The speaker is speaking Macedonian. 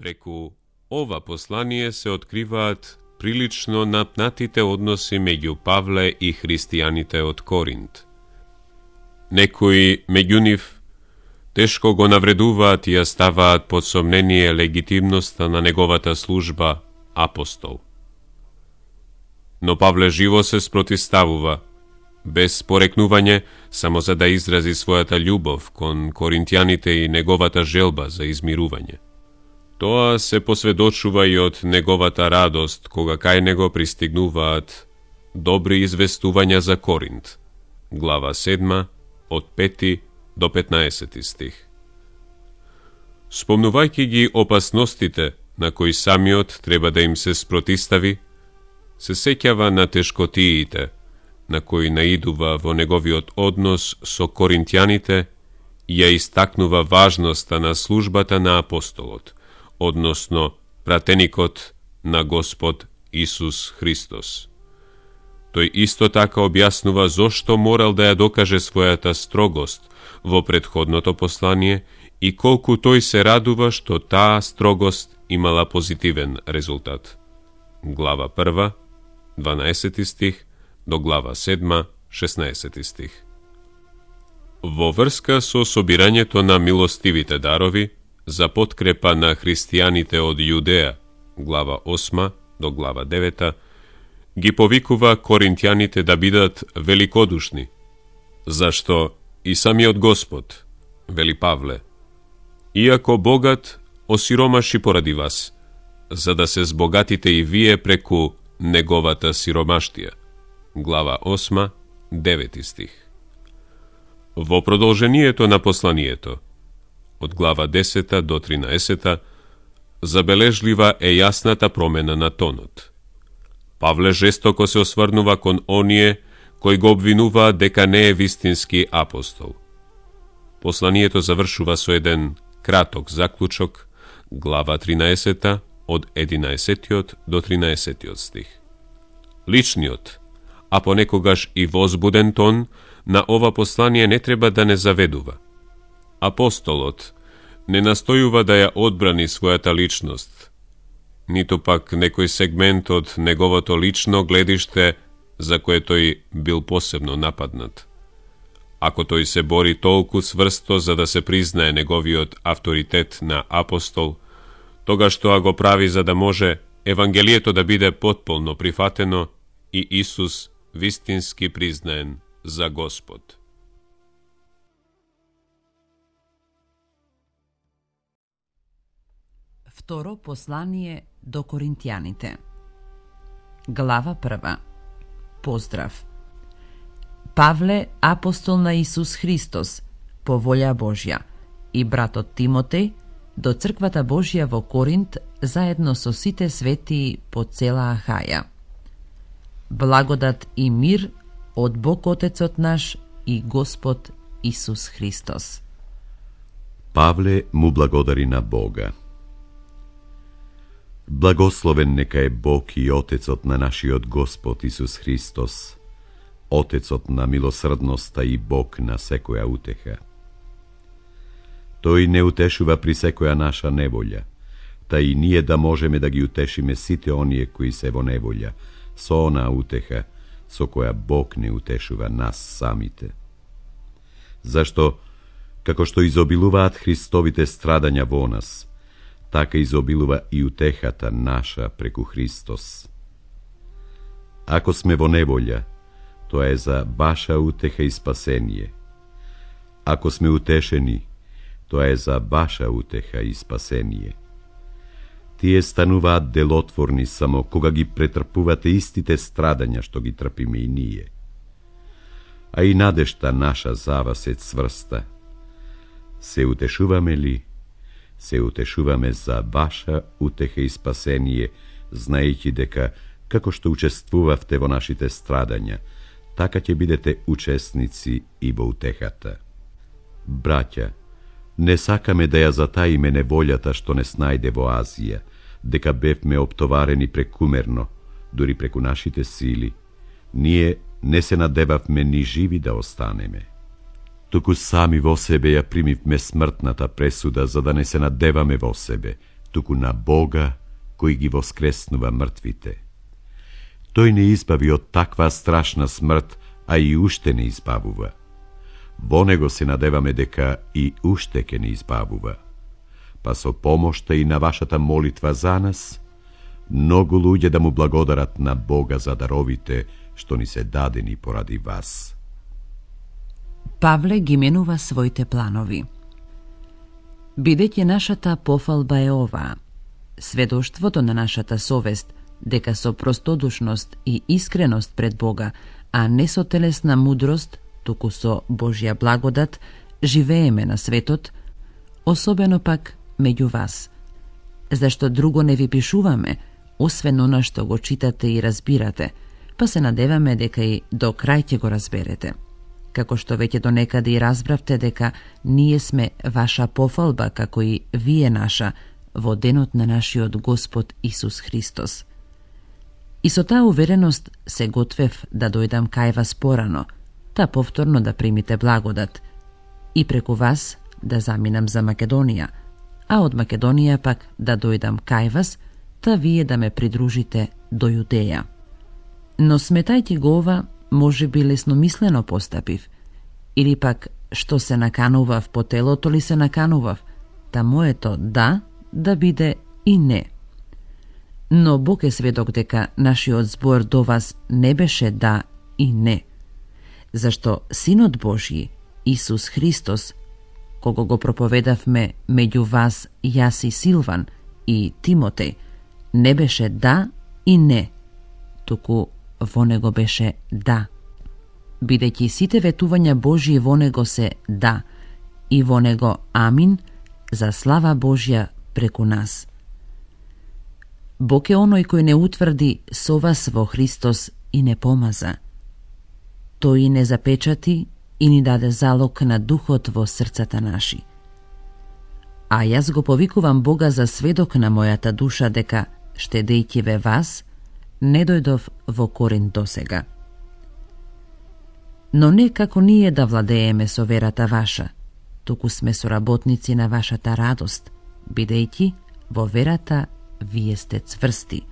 Преку ова послание се откриваат прилично напнатите односи меѓу Павле и христијаните од Коринт. Некои меѓу нив тешко го навредуваат и ја ставаат под сомнение легитимноста на неговата служба апостол. Но Павле живо се спротиставува, без порекнување, само за да изрази својата љубов кон коринтјаните и неговата желба за измирување. Тоа се посведочува и од неговата радост, кога кај него пристигнуваат добри известувања за Коринт. Глава 7, од 5 до 15 стих. Спомнувајќи ги опасностите на кои самиот треба да им се спротистави, се сеќава на тешкотиите на кои наидува во неговиот однос со коринтјаните и ја истакнува важноста на службата на апостолот, односно пратеникот на Господ Исус Христос. Тој исто така објаснува зошто морал да ја докаже својата строгост во претходното послание и колку тој се радува што таа строгост имала позитивен резултат. Глава 1, 12 стих, до глава 7, 16 стих. Во врска со собирањето на милостивите дарови за подкрепа на христијаните од Јудеја, глава 8 до глава 9, ги повикува коринтјаните да бидат великодушни, зашто и самиот Господ, вели Павле, иако богат осиромаши поради вас, за да се збогатите и вие преку неговата сиромаштија. Глава 8, 9 стих. Во продолжението на посланието, од глава 10 до 13, забележлива е јасната промена на тонот. Павле жестоко се осврнува кон оние кои го обвинуваат дека не е вистински апостол. Посланието завршува со еден краток заклучок, глава 13, од 11 до 13 стих. Личниот, а понекогаш и возбуден тон на ова послание не треба да не заведува. Апостолот не настојува да ја одбрани својата личност, ниту пак некој сегмент од неговото лично гледиште за кое тој бил посебно нападнат. Ако тој се бори толку цврсто за да се признае неговиот авторитет на апостол, тогаш тоа го прави за да може Евангелието да биде потполно прифатено и Исус вистински признаен за Господ. Второ послание до коринтјаните. Глава 1. Поздрав. Павле, апостол на Исус Христос, по волја Божја, и братот Тимотеј, до црквата Божја во Коринт, заедно со сите светии по цела Ахаја. Благодат и мир од Бог Отецот наш и Господ Исус Христос. Павле му благодари на Бога. Благословен нека е Бог и Отецот на нашиот Господ Исус Христос, Отецот на милосрдноста и Бог на секоја утеха. Тој не утешува при секоја наша неволја, та и ние да можеме да ги утешиме сите оние кои се во неволја, со онаа утеха со која Бог не утешува нас самите. Зашто, како што изобилуваат Христовите страдања во нас, така изобилува и утехата наша преку Христос. Ако сме во неволја, тоа е за ваша утеха и спасение. Ако сме утешени, тоа е за ваша утеха и спасение. Тие стануваат делотворни само кога ги претрпувате истите страдања што ги трпиме и ние. А и надежта наша за вас е цврста. Се утешуваме ли? Се утешуваме за ваша утеха и спасение, знаејќи дека, како што учествувавте во нашите страдања, така ќе бидете учесници и во утехата. Браќа, не сакаме да ја затаиме неволјата што не снајде во Азија, дека бевме оптоварени прекумерно, дури преку нашите сили. Ние не се надевавме ни живи да останеме. Туку сами во себе ја примивме смртната пресуда за да не се надеваме во себе, туку на Бога кој ги воскреснува мртвите. Тој не избави од таква страшна смрт, а и уште не избавува. Во него се надеваме дека и уште ке не избавува. Па со помошта и на вашата молитва за нас, многу луѓе да му благодарат на Бога за даровите што ни се дадени поради вас. Павле ги менува своите планови. Бидејќи нашата пофалба е оваа, сведоштвото на нашата совест дека со простодушност и искреност пред Бога, а не со телесна мудрост, туку со Божја благодат, живееме на светот, особено пак меѓу вас. Зашто друго не ви пишуваме, освен она што го читате и разбирате, па се надеваме дека и до крај ќе го разберете. Како што веќе до некаде и разбравте дека ние сме ваша пофалба, како и вие наша, во денот на нашиот Господ Исус Христос. И со таа увереност се готвев да дојдам кај вас порано, та повторно да примите благодат, и преку вас да заминам за Македонија, а од Македонија пак да дојдам кај вас, та вие да ме придружите до Јудеја. Но сметајќи го ова, може би лесномислено постапив, или пак што се наканував по телото ли се наканував, та моето да биде и не. Но Бог е сведок дека нашиот збор до вас не беше да и не, зашто Синот Божји, Исус Христос, кого го проповедавме меѓу вас јас и Силван и Тимотеј, не беше да и не, туку во него беше да. Бидејќи сите ветувања Божји во него се да, и во него амин, за слава Божја преку нас. Бог е оној кој не утврди со вас во Христос и не помаза. Тој и не запечати и ни даде залог на духот во срцата наши. А јас го повикувам Бога за сведок на мојата душа дека, штедејќи ве вас, не дојдов во Коринт досега. Но не како ние да владееме со верата ваша, туку сме соработници на вашата радост, бидејќи во верата вие сте цврсти.